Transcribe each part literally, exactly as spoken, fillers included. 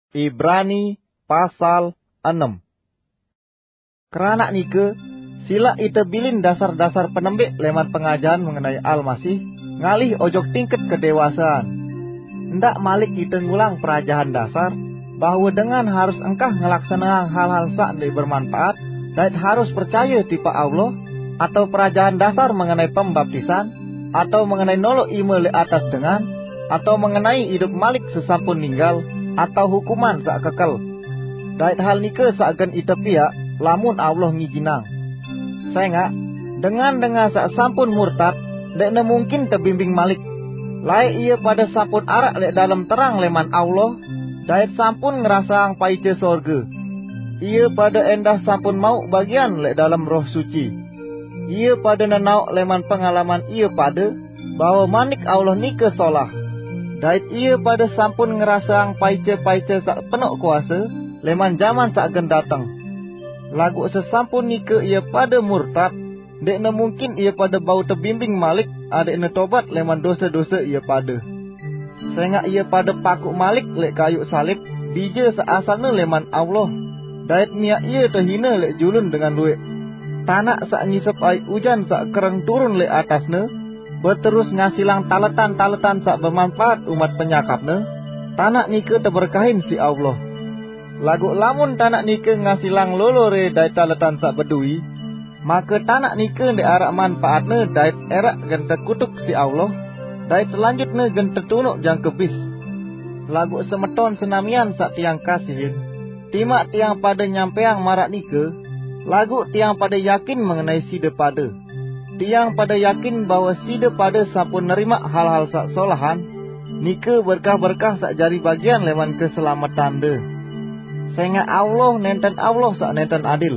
Ibrani pasal enam. Keranak nika, silak ite bilin dasar-dasar penembik leman pengajahan mengenai Almasih, ngalih ojok tingkat kedewasaan. Ndak malik ite ngulang perajahan dasar, bahwa dengan harus engkah ngelaksanang hal-hal sak ndeq bermanfaat, dait harus percaye tipaq Allah, atau perajahan dasar mengenai pembaptisan, atau mengenai noloq ime leq atas dengan, atau mengenai idup malik sesampun ninggal, atau hukuman saq kekel. Dait hal nike saq gen ite piaq, lamun Allah ngijinang. Sengaq, dengan-dengan saq sampun murtad, ndeqne mungkin tebimbing malik. Laeq ie pade sampun araq leq dalem terang leman Allah, dait sampun ngerasaang paice sorge. Ie pade endah sampun mauq bagian leq dalem Roh Suci. Ie pade nenaoq leman pengalaman ie pade, bahwe Manik Allah nike solah. Dait ie pade sampun ngerasaang paice-paice saq penoq kuase leman jaman saq gen dateng. Laguq sesampun nike ie pade murtad, ndeqne mungkin ie pade bau tebimbing malik adeqne tobat leman dose-dose ie pade. Sengaq ie pade pakuq malik leq kayuq salib bije saq asalne leman Allah, dait miaq ie tehine leq julun dengan lueq. Tanaq saq ngisep aiq ujan saq kereng turun leq atasne, beterus ngasilang taletan-taletan saq bemanpaat umat penyakapne, tanaq nike teberkahin siq Allah. Laguq lamun tanaq nike ngasilang lolore dait taletan saq bedowi, make tanaq nike ndeq araq manpaatne dait eraq gen tekutuk siq Allah, dait selanjutne gen tetunuq jangke bis. Laguq semeton senamian saq tiang kasihin, timaq tiang pade nyampeang maraq nike, laguq tiang pade yakin mengenai side pade. Tiang pade yakin bahwe side pade sampun nerimaq hal-hal saq solahan, nike berkah-berkah saq jari bagian leman keselametande. Sengaq Allah nenten Allah saq nenten adil.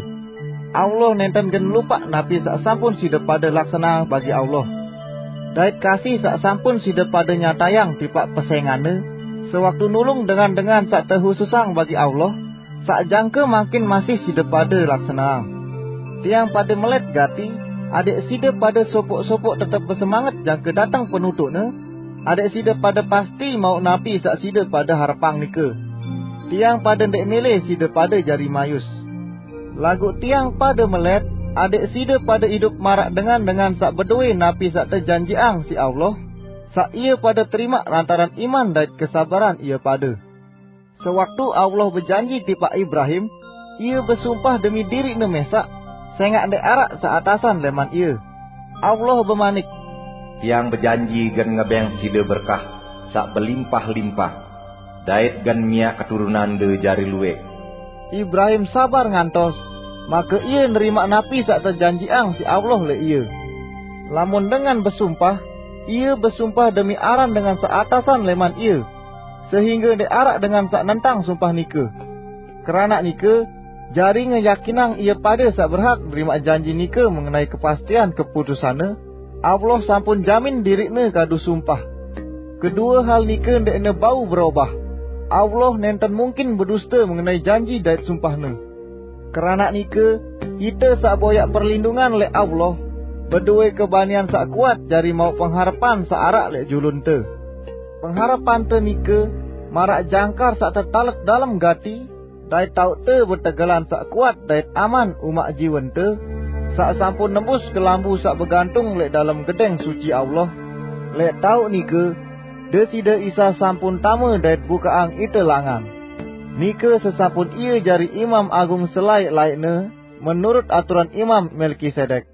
Allah nenten gen lupaq napi saq sampun side pade laksanang bagi Allah. Dait kasih saq sampun side pade nyatayang tipaq pesenganne, sewaktu nulung dengan-dengan saq tehususang bagi Allah, saq jangke mangkin masih side pade laksanang. Tiang pade melet gati, adeq side pade sopoq-sopoq tetep besemanget jangke dateng penutuqne, adeq side pade pasti mauq napi saq side pade harepang nike. Tiang pade ndeq mele side pade jari mayus. Laguq tiang pade melet, adeq side pade idup maraq dengan-dengan saq bedowe napi saq tejanjiqang siq Allah, saq ie pade terimaq lantaran iman dait kesabaran ie pade. Sewaktu Allah bejanji tipaq Ibrahim, Ie besumpah demi diriqne mesaq, sengaq ndeq araq saq atasan leman ie. Allah bemanik, "Tiang bejanji gen ngebeng side berkah saq belimpah-limpah, dait gen miaq keturunande jari lueq." Ibrahim sabar ngantos, make ie nerimaq napi saq tejanjiqang siq Allah leq ie. Lamun dengan besumpah, ie besumpah demi aran dengan saq atasan leman ie, sehingge ndeq araq dengan saq nentang sumpah nike. Keranaq nike, jari ngeyakinang ie pade saq berhak nerimaq janji nike mengenai kepastian keputusanne, Allah sampun jamin diriqne kadu sumpah. Kedue hal nike ndeqne bau berobah. Allah nenten mungkin beduste mengenai janji dait sumpahne. Keranaq nike, ite saq boyaq perlindungan leq Allah, bedowe kebanian saq kuat jari mauq pengharepan saq araq leq julunte. Pengharepante nike maraq jangkar saq tetalet dalem gati, dait taoqte betegelan saq kuat dait aman umaq jiwente, saq sampun nembus kelambu saq begantung leq dalem Gedeng Suci Allah. Leq taoq nike, Deside Isa sampun tame dait bukaqang ite langan. Nike sesampun Ie jari Imam Agung selaeq-laeqne, menurut aturan Imam Melkisedek.